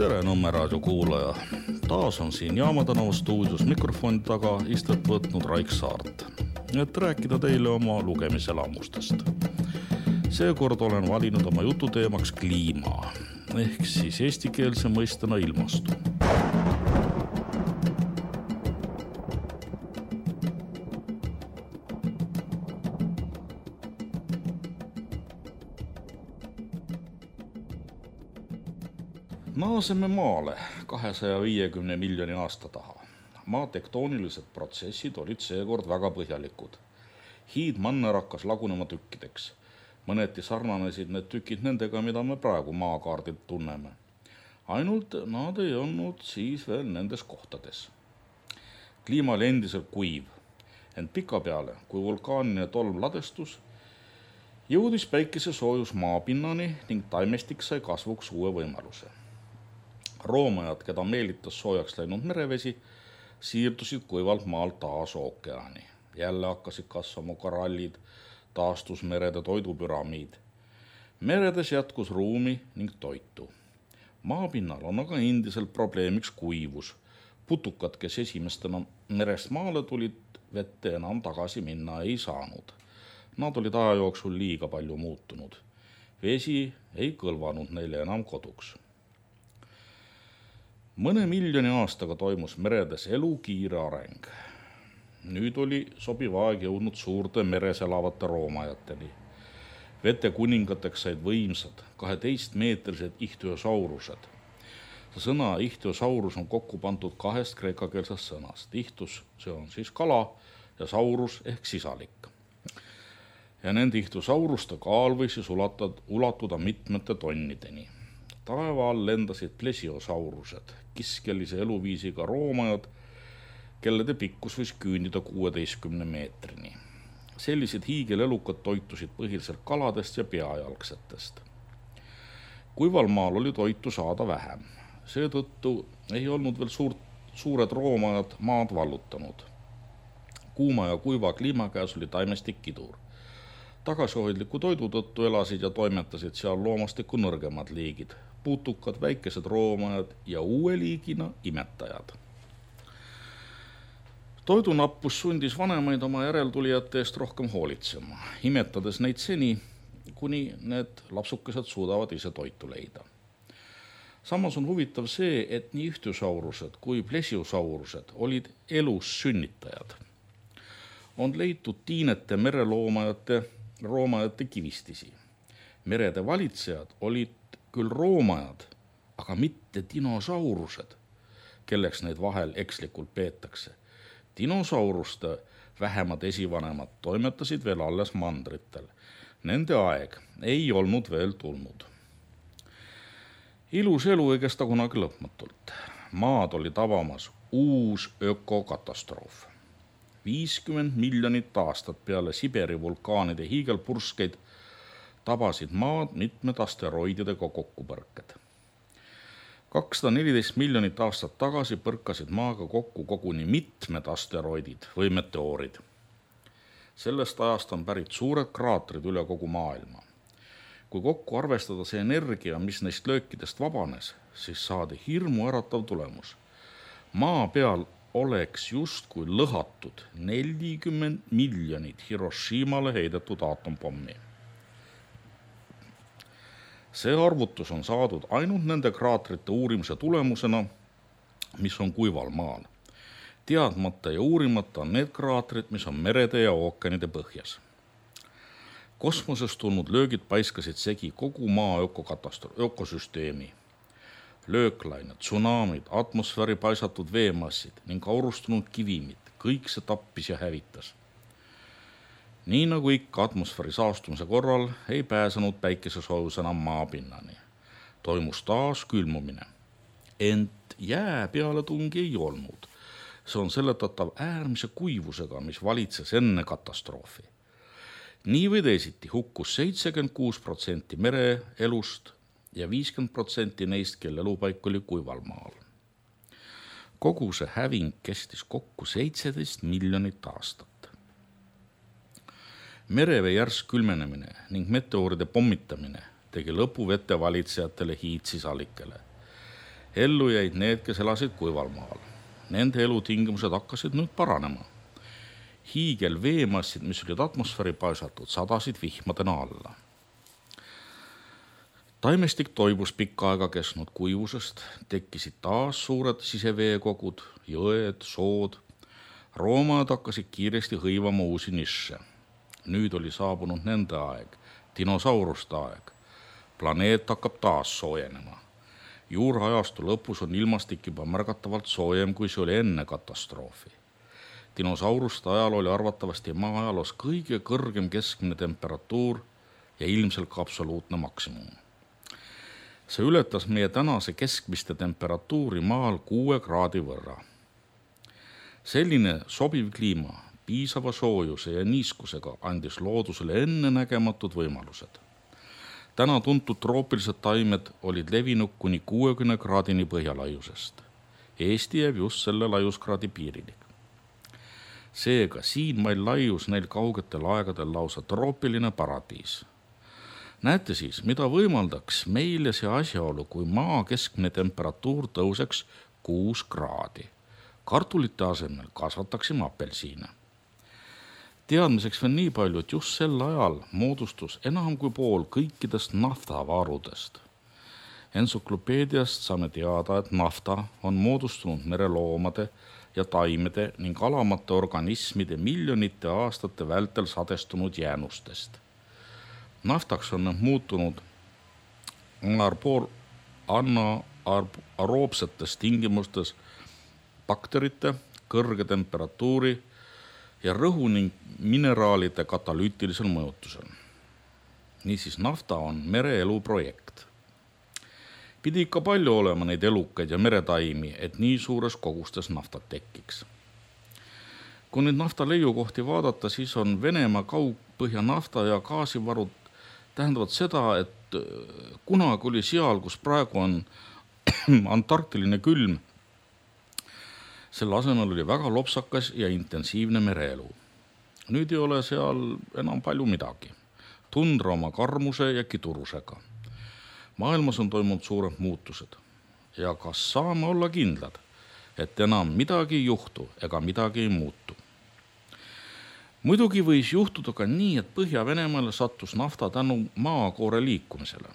Tere Nõmme raadio kuulaja. Taas on siin Jaama tänava stuudios mikrofoni taga istet võtnud Raik Saart, et rääkida teile oma lugemiselamustest. Seekord olen valinud oma jututeemaks kliima, ehk siis eestikeelse mõistena ilmastu. Naaseme maale 250 miljoni aasta taha. Maa tektoonilised protsessid olid seekord väga põhjalikud. Hiidmanner hakkas lagunema tükkideks. Mõneti sarnanesid need tükid nendega, mida me praegu maakaardilt tunneme. Ainult nad ei olnud siis veel nendes kohtades. Kliima oli endiselt kuiv, ent pika peale, kui vulkaanine tolm ladestus, jõudis päikese soojus maapinnani ning taimestik sai kasvuks uue võimaluse. Roomajad, keda meelitas soojaks läinud merevesi, siirdusid kuivalt maalt taas ookeani. Jälle hakkasid kasvama korallid, taastus merede toidupüramiid. Meredes jätkus ruumi ning toitu. Maapinnal on aga endiselt probleemiks kuivus. Putukad, kes esimestena merest maale tulid, vette enam tagasi minna ei saanud. Nad olid aja jooksul liiga palju muutunud. Vesi ei kõlvanud neile enam koduks. Mõne miljoni aastaga toimus meredes elu kiire areng. Nüüd oli sobiv aeg jõudnud suurte meres elavate roomajateni. Vete kuningateks said võimsad 12-meetrised ihtyosaurused. Sõna ihtyosaurus on kokku pandud kahest kreekakeelsest sõnast. Ihtus, see on siis kala, ja saurus ehk sisalik. Ja nende ihtosauruste kaal võis siis ulatuda mitmete tonnideni. Taeva all lendasid plesiosaurused, kiskelise eluviisiga roomajad, kellede pikkus võis küündida 16 meetrini. Sellised hiigelelukad toitusid põhiliselt kaladest ja peajalgsetest. Kuival maal oli toitu saada vähem. Seetõttu ei olnud veel suured roomajad maad vallutanud. Kuuma ja kuiva kliima käes oli taimestik kidur. Tagasihoidliku toidu tõttu elasid ja toimetasid seal loomastiku nõrgemad liigid, putukad, väikesed roomajad ja uue liigina imetajad. Toidunappus sundis vanemaid oma järeltulijate eest rohkem hoolitsema, imetades neid seni, kuni need lapsukesed suudavad ise toitu leida. Samas on huvitav see, et nii ihtyosaurused kui plesiosaurused olid elus sünnitajad. On leitud tiinete roomajate kivistisi. Merede valitsejad olid küll roomajad, aga mitte dinosaurused, kelleks neid vahel ekslikult peetakse. Dinosauruste vähemad esivanemad toimetasid veel alles mandritel. Nende aeg ei olnud veel tulnud. Ilus elu ei kesta kunagi lõpmatult. Maad oli tabamas uus ökokatastroof. 50 miljonit aastat peale Siberi vulkaanide hiigelpurskeid tabasid maad mitmed asteroididega kokkupõrked. 214 miljonit aastat tagasi põrkasid maaga kokku koguni mitmed asteroidid või meteoorid. Sellest ajast on pärit suured kraatrid üle kogu maailma. Kui kokku arvestada see energia, mis neist löökidest vabanes, siis saadi hirmu äratav tulemus. Maa peal oleks justkui lõhatud 40 miljonit Hiroshimale heidetud aatompommia. See arvutus on saadud ainult nende kraatrite uurimise tulemusena, mis on kuival maal. Teadmata ja uurimata on need kraatrid, mis on merede ja ookeanide põhjas. Kosmosest tulnud löögid paiskasid segi kogu maa ökosüsteemi. Lööklained, tsunamid, atmosfääri paisatud veemassid ning aurustunud kivimid, kõik see tappis ja hävitas. Nii nagu ikka atmosfääri saastumise korral ei pääsenud päikesesoojus enam maapinnani. Toimus taas külmumine. Ent jää pealetungi ei olnud. See on seletatav äärmise kuivusega, mis valitses enne katastroofi. Nii või teisiti hukkus 76% mereelust ja 50% neist, kelle elupaik oli kuival maal. Kogu see häving kestis kokku 17 miljonit aastat. Merevee järsk külmenemine ning meteooride pommitamine tegi lõpu vetevalitsejatele hiidsisalikele. Ellu jäid need, kes elasid kuival maal. Nende elutingimused hakkasid nüüd paranema. Hiigel veemassid, mis olid atmosfääri paisatud, sadasid vihmadena alla. Taimestik toibus pikka aega kestnud kuivusest, tekkisid taas suured siseveekogud, jõed, sood. Roomad hakkasid kiiresti hõivama uusi nišše. Nüüd oli saabunud nende aeg, dinosauruste aeg. Planeet hakkab taas soojenema. Juurajastu lõpus on ilmastik juba märgatavalt soojem, kui see oli enne katastroofi. Dinosauruste ajal oli arvatavasti maa-ajaloos kõige kõrgem keskmine temperatuur ja ilmselt ka absoluutne maksimum. See ületas meie tänase keskmiste temperatuuri maal 6 kraadi võrra. Selline sobiv kliima, piisava soojuse ja niiskusega andis loodusele ennenägematud võimalused. Täna tuntud troopilised taimed olid levinud kuni 60 kraadini põhjalaiusest. Eesti jääb just selle laiuskraadi piirini. Seega siin meil laius neil kaugetel aegadel lausa troopiline paradiis. Näete siis, mida võimaldaks meile see asjaolu, kui maa keskmine temperatuur tõuseks 6 kraadi. Kartulite asemel kasvataksime apelsiine. Teadmiseks veel nii palju, et just sel ajal moodustus enam kui pool kõikidest naftavarudest. Ensüklopeediast saame teada, et nafta on moodustunud mereloomade ja taimede ning alamate organismide miljonite aastate vältel sadestunud jäänustest. Naftaks on muutunud anaeroobsetes tingimustes bakterite, kõrge temperatuuri ja rõhu ning mineraalide katalüütilisel mõjutusel. Niisiis nafta on mereelu projekt. Pidi ikka palju olema neid elukaid ja meretaimi, et nii suures kogustes naftat tekiks. Kui nüüd nafta leiukohti vaadata, siis on Venemaa kaugpõhja nafta ja gaasivarud tähendavad seda, et kunagi oli seal, kus praegu on antarktiline külm, selle asemel oli väga lopsakas ja intensiivne mereelu. Nüüd ei ole seal enam palju midagi. Tundra oma karmuse ja kidurusega. Maailmas on toimunud suured muutused. Ja kas saame olla kindlad, et enam midagi ei juhtu ega midagi ei muutu? Muidugi võis juhtuda ka nii, et Põhja-Venemaale sattus nafta tänu maakoore liikumisele.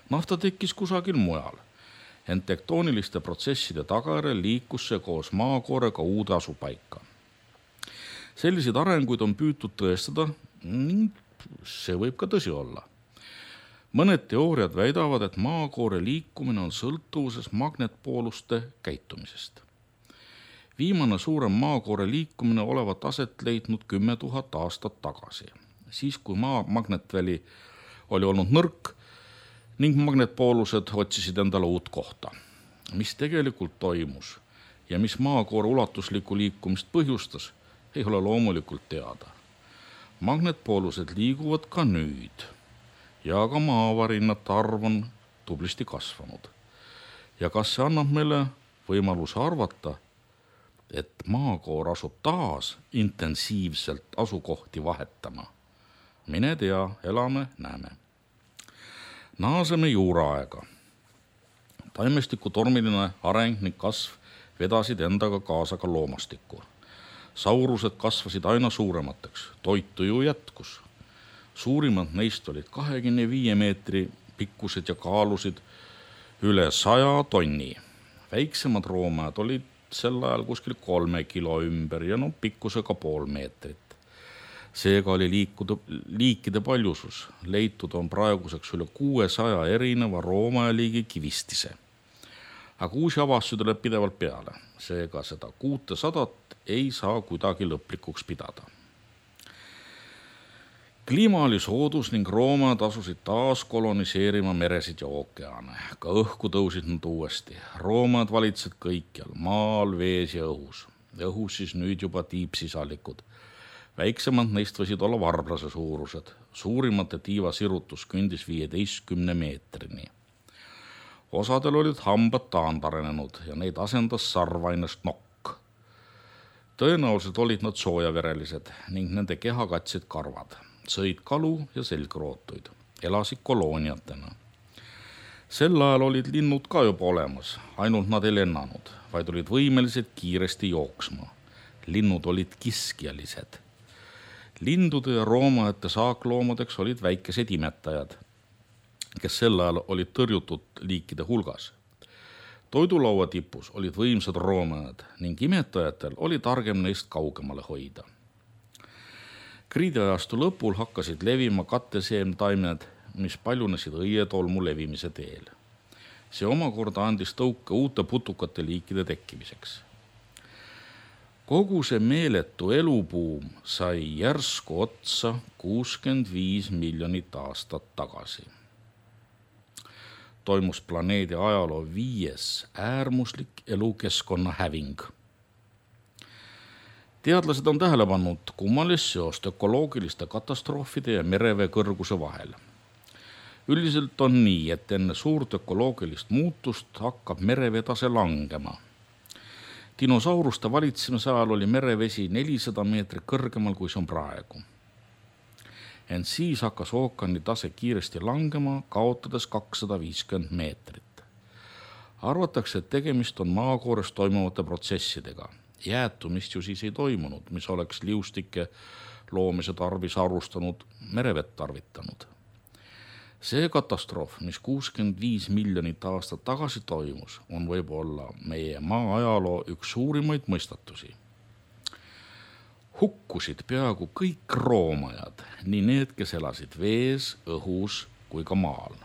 Nafta tekkis kusagil mujal. Ent tektooniliste protsesside tagajärjel liikus see koos maakoorega uude asupaika. Selliseid arenguid on püütud tõestada ning see võib ka tõsi olla. Mõned teooriad väidavad, et maakoore liikumine on sõltuvuses magnetpooluste käitumisest. Viimane suurem maakoore liikumine olevat aset leidnud 10 000 aastat tagasi, siis kui maa magnetväli oli olnud nõrk ning magnetpoolused otsisid endale uut kohta. Mis tegelikult toimus ja mis maakoore ulatuslikku liikumist põhjustas, ei ole loomulikult teada. Magnetpoolused liiguvad ka nüüd ja ka maavarinnate arv on tublisti kasvanud. Ja kas see annab meile võimaluse arvata, et maakoor asub taas intensiivselt asukohti vahetama? Mine tea, elame, näeme. Naaseme juuraaega. Taimestiku tormiline areng ning kasv vedasid endaga kaasa ka loomastikku. Saurused kasvasid aina suuremateks, toitu ju jätkus. Suurimad neist olid 25 meetri pikkused ja kaalusid üle 100 tonni. Väiksemad roomad olid sel ajal kuskil 3 kilo ümber ja pikkusega 0,5 meetrit. Seega oli liikide paljusus. Leitud on praeguseks üle 600 erineva roomajaliigi kivistise. Aga uusi avastusi tuleb pidevalt peale. Seega seda 600 ei saa kuidagi lõplikuks pidada. Kliima oli soodus ning roomad asusid taas koloniseerima meresid ja ookeane. Ka õhku tõusid nad uuesti. Roomad valitsid kõikjal, maal, vees ja õhus. Õhus siis nüüd juba tiipsisalikud. Väiksemad neist võisid olla varblase suurused. Suurimate tiiva sirutus kündis 15 meetrini. Osadel olid hambad taandarenenud ja neid asendas sarvainest nokk. Tõenäoliselt olid nad soojaverelised ning nende keha katsid karvad. Sõid kalu ja selgrootuid. Elasid kolooniatena. Sel ajal olid linnud ka juba olemas, ainult nad ei lennanud, vaid olid võimelised kiiresti jooksma. Linnud olid kiskjalised. Lindude ja roomajate saakloomadeks olid väikesed imetajad, kes sel ajal olid tõrjutud liikide hulgas. Toidulaua tipus olid võimsad roomajad ning imetajatel oli targem neist kaugemale hoida. Kriidiajastu lõpul hakkasid levima katteseemtaimed, mis paljunesid õietolmu levimise teel. See omakorda andis tõuke uute putukate liikide tekkimiseks. Kogu see meeletu elubuum sai järsku otsa 65 miljonit aastat tagasi. Toimus planeedi ajaloo 5. äärmuslik elukeskkonna häving. Teadlased on tähele pannud kummalist seost ökoloogiliste katastroofide ja merevee kõrguse vahel. Üldiselt on nii, et enne suurt ökoloogilist muutust hakkab merevetase langema. Dinosauruste valitsemise ajal oli merevesi 400 meetrit kõrgemal, kui see on praegu. Ent siis hakkas ookeani tase kiiresti langema, kaotades 250 meetrit. Arvatakse, et tegemist on maakoores toimuvate protsessidega. Jäätumist ju siis ei toimunud, mis oleks liustike loomise tarvis arvustanud merevett tarvitanud. See katastroof, mis 65 miljonit aastat tagasi toimus, on võib-olla meie maa ajaloo üks suurimaid mõistatusi. Hukkusid peaaegu kõik roomajad, nii need, kes elasid vees, õhus kui ka maal.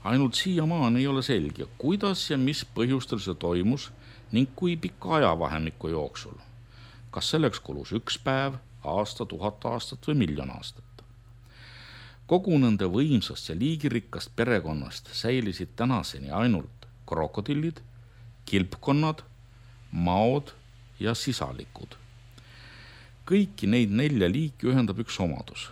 Ainult siiamaani ei ole selge, kuidas ja mis põhjustel see toimus ning kui pika ajavahemiku jooksul. Kas selleks kulus 1 päev, aasta, 1000 aastat või 1 000 000 aastat. Kogu nende võimsast ja liigirikkast perekonnast säilisid tänaseni ainult krokodillid, kilpkonnad, maod ja sisalikud. Kõiki neid 4 liiki ühendab üks omadus.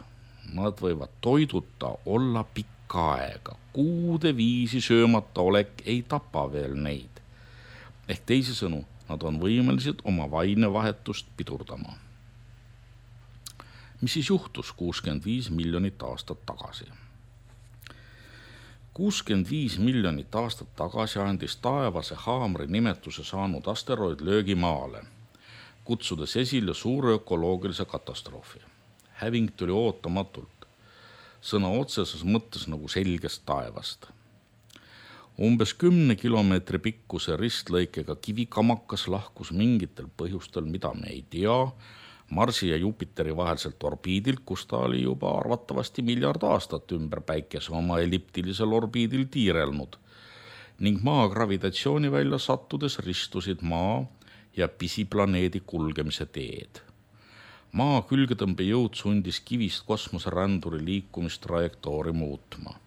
Nad võivad toiduta olla pikka aega. Kuude viisi söömata olek ei tapa veel neid. Ehk teisisõnu, nad on võimelised oma vainevahetust pidurdama. Mis siis juhtus 65 miljonit aastat tagasi? 65 miljonit aastat tagasi andis taevase haamri nimetuse saanud asteroid löögi maale, kutsudes esile suure ökoloogilise katastroofi. Häving tuli ootamatult, sõna otseses mõttes nagu selgest taevast. Umbes 10 kilomeetri pikkuse ristlõikega kivikamakas lahkus mingitel põhjustel, mida me ei tea, Marsi ja Jupiteri vahelselt orbiidilt, kus ta oli juba arvatavasti 1 miljard aastat ümber päikese oma elliptilisel orbiidil tiirelnud ning maa gravitatsioonivälja sattudes ristusid maa ja pisiplaneedi kulgemise teed. Maa külgetõmbejõud sundis kivist kosmoseränduri liikumistrajektoori muutma.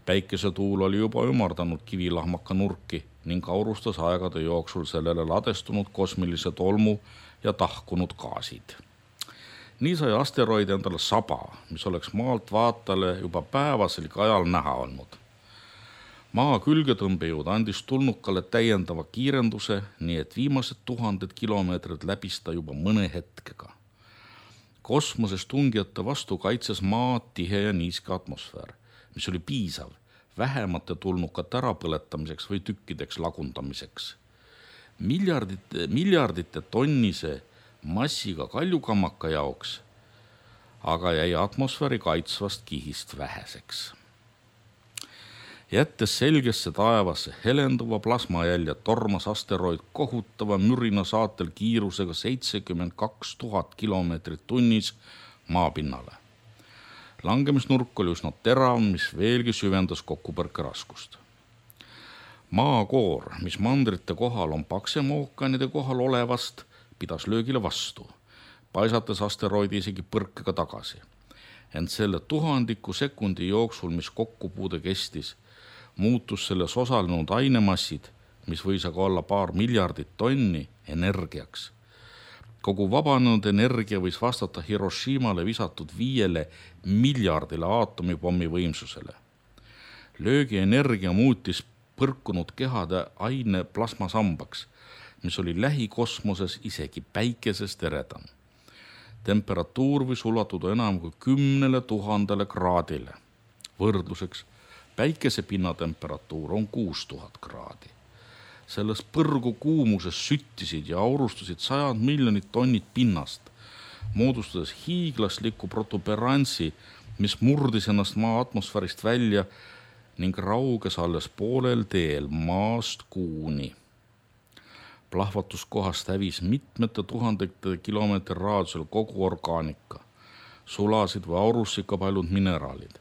Päikesetuul oli juba ümardanud kivilahmaka nurki ning aurustas aegade jooksul sellele ladestunud kosmilise tolmu ja tahkunud gaasid. Nii sai asteroid endale saba, mis oleks maalt vaatajale juba päevasel ajal näha olnud. Maa külgetõmbejõud andis tulnukale täiendava kiirenduse, nii et viimased 1000 kilomeetrid läbis ta juba mõne hetkega. Kosmoses tungijate vastu kaitses maa tihe ja niiske atmosfäär, mis oli piisav vähemate tulnukate ärapõletamiseks või tükkideks lagundamiseks. Miljardite tonnise massiga kaljukamaka jaoks aga jäi atmosfääri kaitsvast kihist väheseks. Jättes selgesse taevasse helenduva plasmajälje tormas asteroid kohutava mürina saatel kiirusega 72 000 kilomeetrit tunnis maapinnale. Langemisnurk oli üsna terav, mis veelgi süvendas kokkupõrke raskust. Maakoor, mis mandrite kohal on paksem ookeanide kohal olevast, pidas löögile vastu, paisates asteroidi isegi põrkega tagasi. Ent selle 1000 sekundi jooksul, mis kokkupuude kestis, muutus selles osalenud ainemassid, mis võis aga olla paar miljardit tonni, energiaks. Kogu vabanenud energia võis vastata Hiroshimale visatud 5 miljardile aatomipommi võimsusele. Löögi energia muutis põrkunud kehade aine plasmasambaks, mis oli lähikosmoses isegi päikesest eredam. Temperatuur võis ulatuda enam kui 10 000 kraadile. Võrdluseks, Päikese pinnatemperatuur on 6000 kraadi. Selles põrgu kuumuses süttisid ja aurustusid 100 miljonit tonnid pinnast, moodustades hiiglasliku protuberantsi, mis murdis ennast maa atmosfäärist välja ning rauges alles poolel teel maast kuuni. Plahvatuskohast hävis mitmete tuhandete kilomeetri raadiusel kogu orgaanika, sulasid või aurussid ka paljud mineraalid.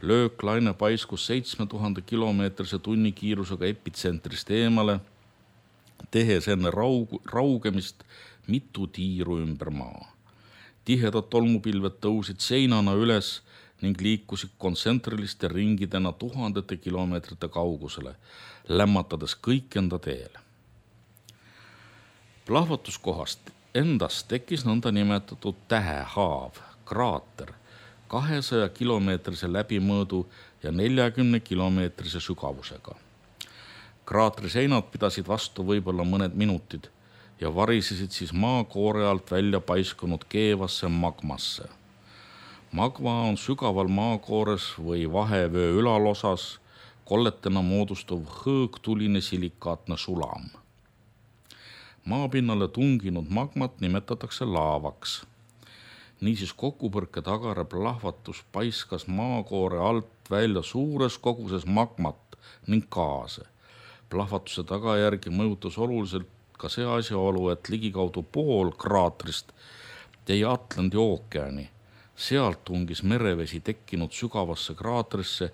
Lööklaine paiskus 7000 kilomeetrise tunnikiirusega epitsentrist eemale, tehes enne raugemist mitu tiiru ümber maa. Tihedad tolmupilved tõusid seinana üles ning liikusid kontsentriliste ringidena tuhandete kilomeetrite kaugusele, lämmatades kõik enda teele. Plahvatuskohast endast tekkis nõnda nimetatud tähehaav, kraater, 200 kilomeetrise läbimõõdu ja 40 kilomeetrise sügavusega. Kraatri seinad pidasid vastu võib-olla mõned minutid ja varisesid siis maakoore alt välja paiskunud keevasse magmasse. Magma on sügaval maakoores või vahevöö ülalosas kolletena moodustuv hõõgtuline silikaatne sulam. Maapinnale tunginud magmat nimetatakse laavaks. Niisiis kokkupõrke tagare plahvatus paiskas maakoore alt välja suures koguses magmat ning gaase. Plahvatuse tagajärgi mõjutas oluliselt ka see asjaolu, et ligikaudu pool kraatrist jäi Atlandi ookeani. Sealt tungis merevesi tekkinud sügavasse kraatrisse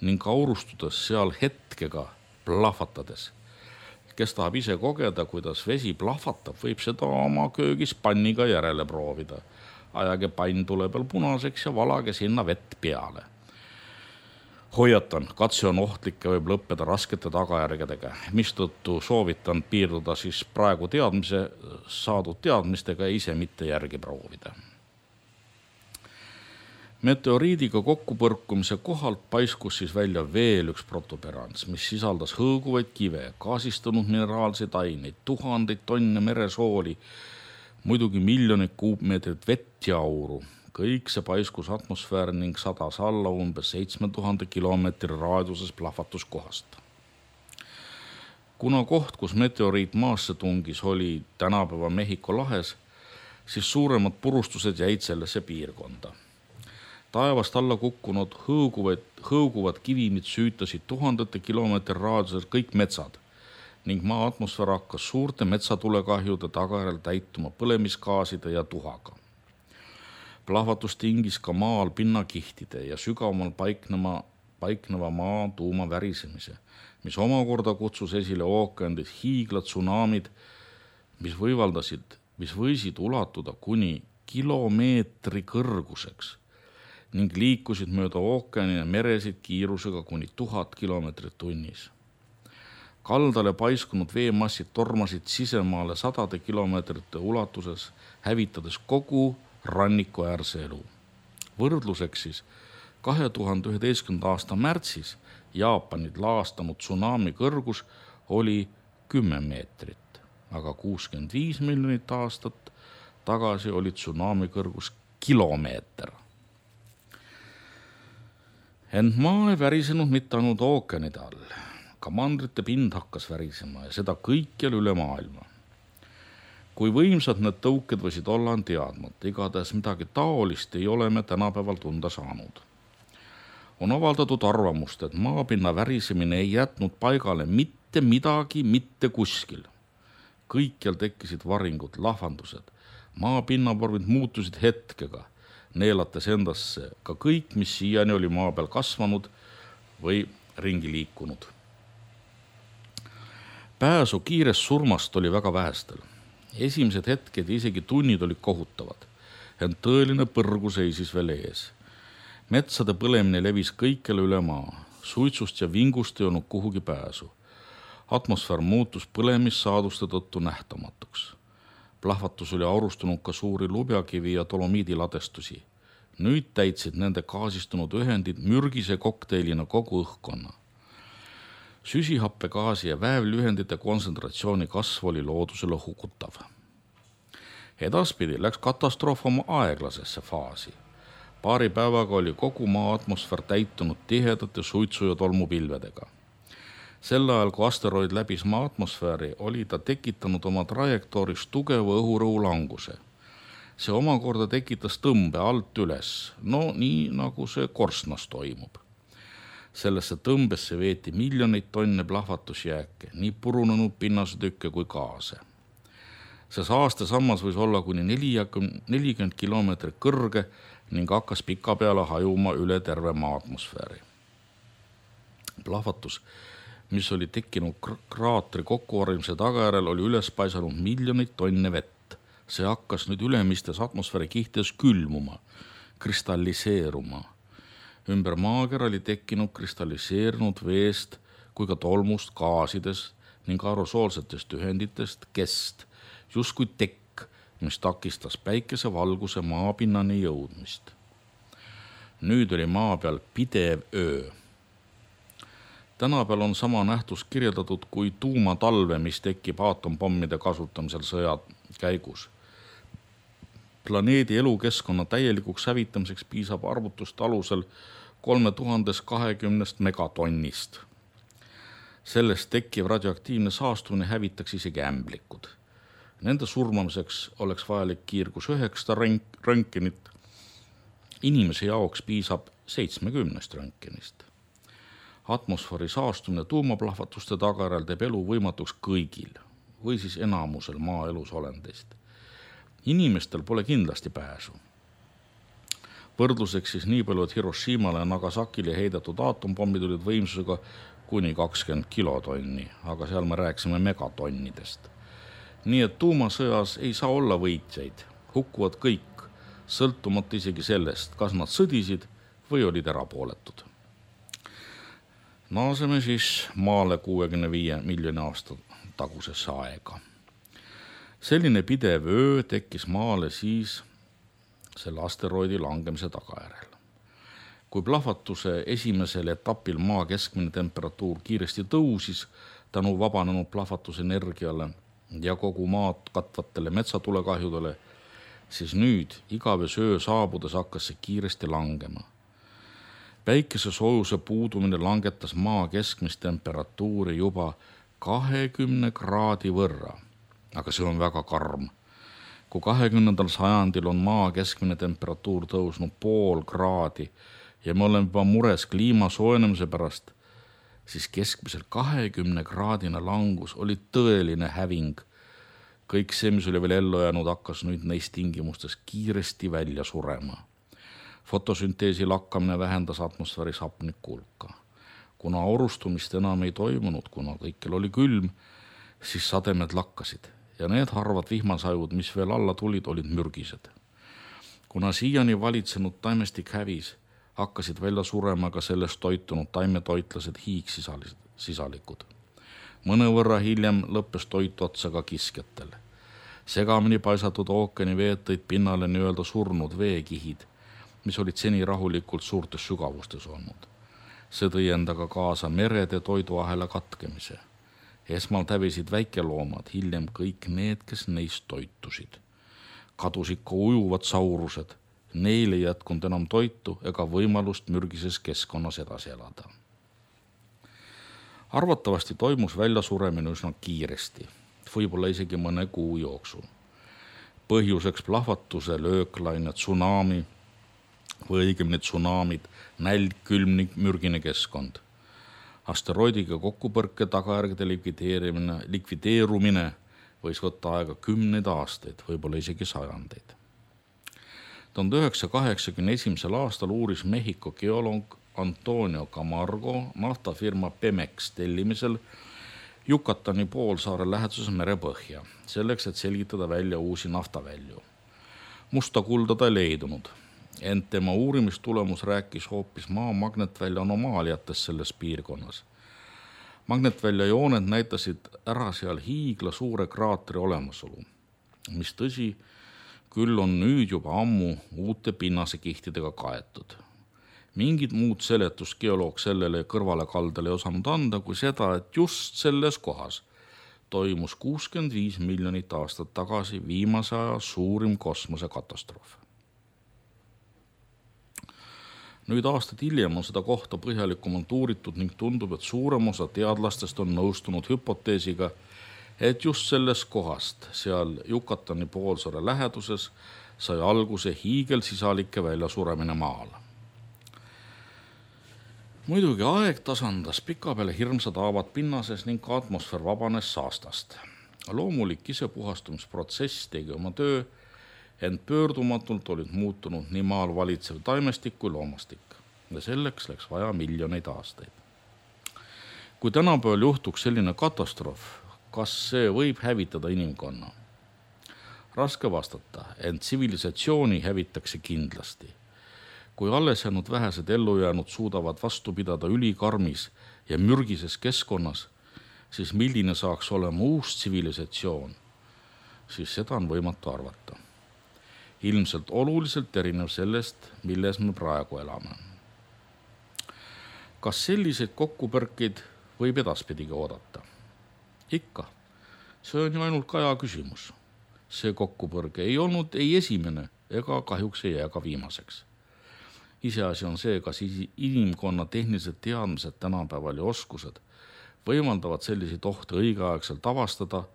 ning aurustudes seal hetkega plahvatades. Kes tahab ise kogeda, kuidas vesi plahvatab, võib seda oma köögis panniga järele proovida. Ajage pann tule peal punaseks ja valage sinna vett peale. Hoiatan, katse on ohtlik ja võib lõppeda raskete tagajärgedega, mistõttu soovitan piirduda siis praegu saadud teadmistega ja ise mitte järgi proovida. Meteoriidiga kokkupõrkumise kohalt paiskus siis välja veel üks protuberants, mis sisaldas hõõguvaid kive, gaasistunud mineraalseid aineid, tuhandeid tonne meresooli, muidugi miljoneid kuupmeetrit vett ja auru. Kõik see paiskus atmosfääri ning sadas alla umbes 7000 kilomeetri raadiuses plahvatuskohast. Kuna koht, kus meteoriit maasse tungis, oli tänapäeva Mehhiko lahes, siis suuremad purustused jäid sellesse piirkonda. Taevast alla kukkunud hõõguvad kivimid süütasid tuhandete kilomeetri raadiuses kõik metsad ning maa atmosfäär hakkas suurte metsatulekahjude tagajärjel täituma põlemisgaaside ja tuhaga. Plahvatus tingis ka maal pinnakihtide ja sügavamal paikneva maa tuuma värisemise, mis omakorda kutsus esile ookeanid hiiglad tsunamid, mis võisid ulatuda kuni kilomeetri kõrguseks ning liikusid mööda ookeani ja meresid kiirusega kuni 1000 kilomeetrit tunnis. Kaldale paiskunud veemassid tormasid sisemaale 100 kilomeetrite ulatuses, hävitades kogu rannikuäärse elu. Võrdluseks siis 2011. aasta märtsis Jaapanit laastanud tsunami kõrgus oli 10 meetrit, aga 65 miljonit aastat tagasi oli tsunami kõrgus kilomeeter. Ent maa ei värisenud mitte ainult ookeanide all. Ka mandrite pind hakkas värisema ja seda kõikjal üle maailma. Kui võimsad need tõuked võisid olla, on teadmata, igatahes midagi taolist ei ole me tänapäeval tunda saanud. On avaldatud arvamust, et maapinna värisemine ei jätnud paigale mitte midagi mitte kuskil. Kõikjal tekkisid varingud, lahvandused, maapinnaporvid muutusid hetkega, neelates endasse ka kõik, mis siiani oli maa peal kasvanud või ringi liikunud. Pääsu kiirest surmast oli väga vähestel. Esimesed hetked ja isegi tunnid olid kohutavad, ent tõeline põrgu seisis veel ees. Metsade põlemine levis kõikjale üle maa, suitsust ja vingust ei olnud kuhugi pääsu. Atmosfäär muutus põlemissaaduste tõttu nähtamatuks. Plahvatus oli aurustunud ka suuri lubjakivi ja dolomiidiladestusi. Nüüd täitsid nende gaasistunud ühendid mürgise kokteilina kogu õhkkonna. Süsihappegaasi ja väävlühendite kontsentratsiooni kasv oli loodusele hukutav. Edaspidi läks katastroof oma aeglasesse faasi. Paari päevaga oli kogu maa atmosfäär täitunud tihedate suitsu- ja tolmupilvedega. Sel ajal, kui asteroid läbis maa atmosfääri, oli ta tekitanud oma trajektooris tugeva õhurõhu languse. See omakorda tekitas tõmbe alt üles, no nii nagu see korstnas toimub. Sellesse tõmbesse veeti miljoneid tonne plahvatusjääke, nii purunenud pinnasetükke kui gaase. See saastesammas võis olla kuni 40 kilomeetrit kõrge ning hakkas pikapeale hajuma üle terve maa atmosfääri. Plahvatus, mis oli tekkinud kraatri kokkuvarjumise tagajärjel, oli üles paisanud miljoneid tonne vett. See hakkas nüüd ülemistes atmosfääri kihtides külmuma, kristalliseeruma. Ümber maakera oli tekkinud kristalliseerunud veest kui ka tolmust, gaasidest ning aerosoolsetest ühenditest kest, justkui tekk, mis takistas päikesevalguse maapinnani jõudmist. Nüüd oli maa peal pidev öö. Tänapäeval on sama nähtus kirjeldatud kui tuumatalve, mis tekib aatompommide kasutamisel sõja käigus. Planeedi elukeskkonna täielikuks hävitamiseks piisab arvutuste alusel 3020 megatonnist. Sellest tekkiv radioaktiivne saastumine hävitaks isegi ämblikud. Nende surmamiseks oleks vajalik kiirgus 9 röntgenit. Inimese jaoks piisab 70 röntgenist. Atmosfääri saastumine tuumaplahvatuste tagajärjel teeb elu võimatuks kõigil või siis enamusel maaelus olendist. Inimestel pole kindlasti pääsu. Võrdluseks siis nii palju, et Hiroshimale ja Nagasakile heidetud atompommid olid võimsusega kuni 20 kilotonni, aga seal me rääkisime megatonnidest. Nii et tuumasõjas ei saa olla võitjaid, hukkuvad kõik, sõltumata isegi sellest, kas nad sõdisid või olid erapooletud. Naaseme siis maale 65 miljoni aasta tagusesse aega. Selline pidev öö tekkis maale siis selle asteroidi langemise tagajärjel. Kui plahvatuse esimesel etapil maa keskmine temperatuur kiiresti tõusis tänu vabanenud plahvatusenergiale ja kogu maad katvatele metsatulekahjudele, siis nüüd igavese öö saabudes hakkas see kiiresti langema. Päikese soojuse puudumine langetas maa keskmist temperatuuri juba 20 kraadi võrra, aga see on väga karm. Kui 20. sajandil on maa keskmine temperatuur tõusnud 0,5 kraadi ja me oleme juba mures kliima soojenemise pärast, siis keskmiselt 20 kraadine langus oli tõeline häving. Kõik see, mis oli veel ellu jäänud, hakkas nüüd neist tingimustes kiiresti välja surema. Fotosünteesi lakkamine vähendas atmosfääris hapniku hulka. Kuna aurustumist enam ei toimunud, kuna kõikjal oli külm, siis sademed lakkasid ja need harvad vihmasajud, mis veel alla tulid, olid mürgised. Kuna siiani valitsenud taimestik hävis, hakkasid välja surema ka sellest toitunud taimetoitlased hiigsisalikud. Mõnevõrra hiljem lõppes toitu otsa ka kiskjatel. Segamini paisatud ookeani veed tõid pinnale nii-öelda surnud veekihid, mis olid seni rahulikult suurtes sügavustes olnud. See tõi endaga kaasa merede toiduahela katkemise. Esmalt hävisid väikeloomad, hiljem kõik need, kes neist toitusid. Kadusid ka ujuvad saurused. Neil ei jätkunud enam toitu ega võimalust mürgises keskkonnas edasi elada. Arvatavasti toimus väljasuremine üsna kiiresti, võib-olla isegi mõne kuu jooksul. Põhjuseks plahvatuse, lööklaine, tsunami või õigemini tsunamid, nälg, külmnik, mürgine keskkond. Asteroidiga kokkupõrke tagajärgede likvideerumine võis võtta aega 10 aastaid, võib-olla isegi sajandeid. 1981. aastal uuris Mehhiko geoloog Antonio Camargo naftafirma Pemex tellimisel Yucatani poolsaare läheduses merepõhja, selleks, et selgitada välja uusi naftavälju. Musta kulda ta ei leidunud, ent tema uurimistulemus rääkis hoopis maa magnetvälja anomaaliatest selles piirkonnas. Magnetvälja jooned näitasid ära seal hiigla suure kraatri olemasolu, mis tõsi, küll on nüüd juba ammu uute pinnasekihtidega kaetud. Mingit muud seletust geoloog sellele kõrvale kaldale ei osanud anda, kui seda, et just selles kohas toimus 65 miljonit aastat tagasi viimase aja suurim kosmosekatastroof. Nüüd aastaid hiljem on seda kohta põhjalikumalt uuritud ning tundub, et suurem osa teadlastest on nõustunud hüpoteesiga, et just sellest kohast, seal Yucatani poolsaare läheduses, sai alguse hiigelsisalike väljasuremine maal. Muidugi aeg tasandas pikapeale hirmsad haavad pinnases ning ka atmosfäär vabanes saastast. Loomulik isepuhastumisprotsess tegi oma töö, ent pöördumatult olid muutunud nii maal valitsev taimestik kui loomastik ja selleks läks vaja miljoneid aastaid. Kui tänapäeval juhtuks selline katastroof, kas see võib hävitada inimkonna? Raske vastata, ent tsivilisatsiooni hävitakse kindlasti. Kui alles jäänud vähesed ellujäänud suudavad vastu pidada ülikarmis ja mürgises keskkonnas, siis milline saaks olema uus tsivilisatsioon, siis seda on võimatu arvata. Ilmselt oluliselt erinev sellest, milles me praegu elame. Kas selliseid kokkupõrkeid võib edaspidigi oodata? Ikka. See on ju ainult aja küsimus. See kokkupõrge ei olnud ei esimene ega kahjuks ei jää ka viimaseks. Iseasi on see, kas inimkonna tehnilised teadmised tänapäeval ja oskused võimaldavad selliseid ohte õigeaegselt avastada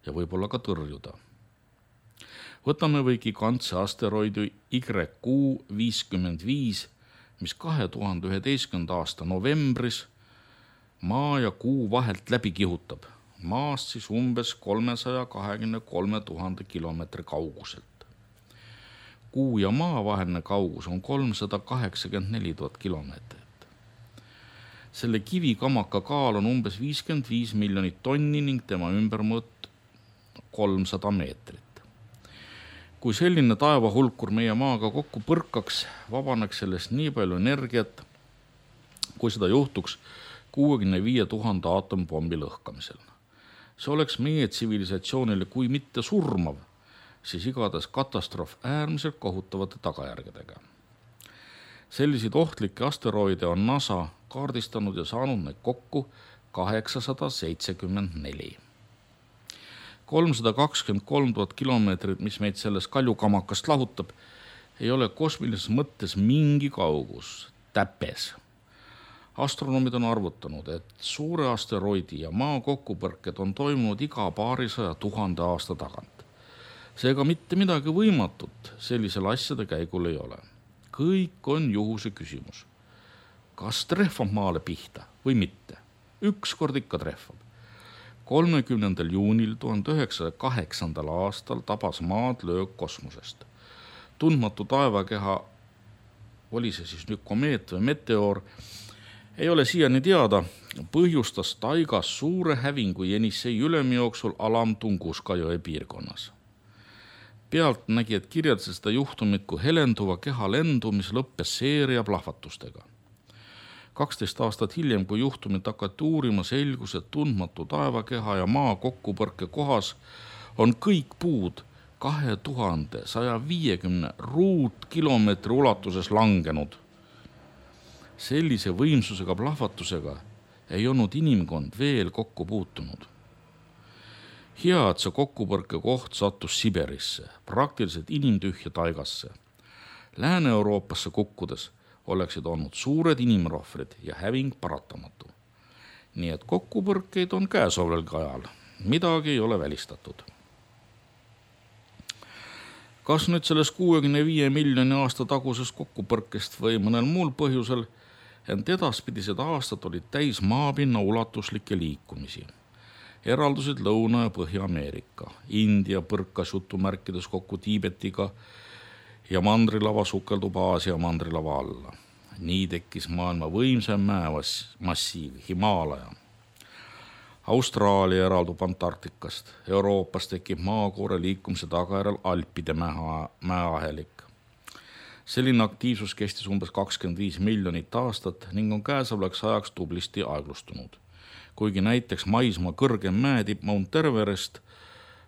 ja võib-olla ka tõrjuda. Võtame või gigantse asteroidi YQ-55, mis 2011. aasta novembris Maa ja Kuu vahelt läbi kihutab, maast siis umbes 323 000 kilomeetri kauguselt. Kuu ja Maa vaheline kaugus on 384 000 kilomeetrit. Selle kivikamaka kaal on umbes 55 miljonit tonni ning tema ümbermõõt 300 meetrit. Kui selline taevahulkur meie Maaga kokku põrkaks, vabaneks sellest nii palju energiat, kui seda juhtuks 65 000 aatomipommi lõhkamisel. See oleks meie tsivilisatsioonile kui mitte surmav, siis igatahes katastroof äärmiselt kohutavate tagajärgedega. Selliseid ohtlikke asteroide on NASA kaardistanud ja saanud neid kokku 874. 323 000 kilomeetrit, mis meid sellest kaljukamakast lahutab, ei ole kosmilises mõttes mingi kaugus, täpes. Astronomid on arvutanud, et suure asteroidi ja Maa kokkupõrked on toimunud iga paarisaja 1000 aasta tagant. Seega mitte midagi võimatut sellisel asjade käigul ei ole. Kõik on juhuse küsimus. Kas trehvab Maale pihta või mitte? Ükskord ikka trehvab. 30. juunil 1908. aastal tabas Maad löök kosmosest. Tundmatu taevakeha, oli see siis nüüd komeet või meteoor, ei ole siiani teada, põhjustas taigas suure hävingu Jenissei ülemijooksul Alam-Tunguska jõe piirkonnas. Pealtnägijad kirjeldasid seda juhtumit kui helenduva keha lendu, mis lõppes seeria plahvatustega. 12 aastat hiljem, kui juhtumit hakati uurima, selgus, et tundmatu taevakeha ja Maa kokkupõrke kohas on kõik puud 2150 ruutkilomeetri ulatuses langenud. Sellise võimsusega plahvatusega ei olnud inimkond veel kokku puutunud. Hea, et see kokkupõrke koht sattus Siberisse, praktiliselt inimtühja taigasse. Lääne-Euroopasse kukkudes oleksid olnud suured inimrohvrid ja häving paratamatu. Nii et kokkupõrkeid on käesolevalgi ajal. Midagi ei ole välistatud. Kas nüüd sellest 65 miljoni aasta tagusest kokkupõrkest või mõnel muul põhjusel, ent edaspidised aastad olid täis maapinna ulatuslikke liikumisi. Eraldusid Lõuna- ja Põhja-Ameerika. India põrkas jutumärkides kokku Tiibetiga ja mandrilava sukeldub Aasia mandrilava alla. Nii tekkis maailma võimsam mäemassiiv, Himaalaja. Austraalia eraldub Antarktikast. Euroopas tekib maakoore liikumise tagajärjel Alpide mäeahelik. Selline aktiivsus kestis umbes 25 miljonit aastat ning on käesolevaks ajaks tublisti aeglustunud. Kuigi näiteks maismaa kõrgem mäetipp Mount Everest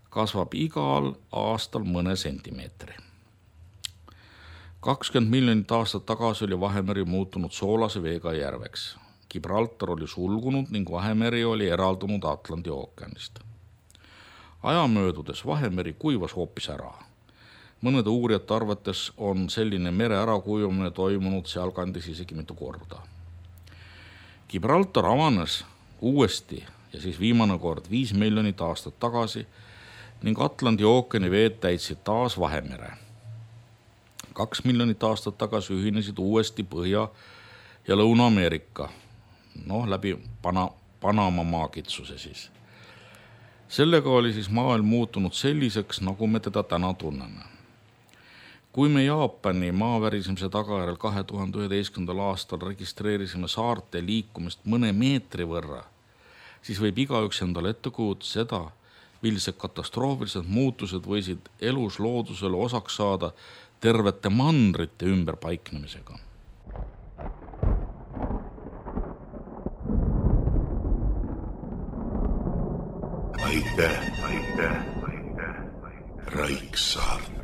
kasvab igal aastal mõne sentimeetri. 20 miljonit aastat tagasi oli Vahemeri muutunud soolase veega järveks. Gibraltar oli sulgunud ning Vahemeri oli eraldunud Atlandi ookeanist. Aja möödudes Vahemeri kuivas hoopis ära. Mõnede uurijate arvates on selline mere ärakujumine toimunud sealkandis isegi mitu korda. Gibraltar avanes uuesti ja siis viimane kord 5 miljonit aastat tagasi ning Atlandi ookeani veed täitsid taas Vahemere. 2 miljonit aastat tagasi ühinesid uuesti Põhja- ja Lõuna-Ameerika, läbi Panama maakitsuse siis. Sellega oli siis maailm muutunud selliseks, nagu me teda täna tunneme. Kui me Jaapani maavärisemise tagajärjel 2011. aastal registreerisime saarte liikumist mõne meetri võrra, siis võib igaüks endale ette kujutada seda, millised katastroofilised muutused võisid elus loodusele osaks saada tervete mandrite ümberpaiknemisega. Aitäh, Raiksaart.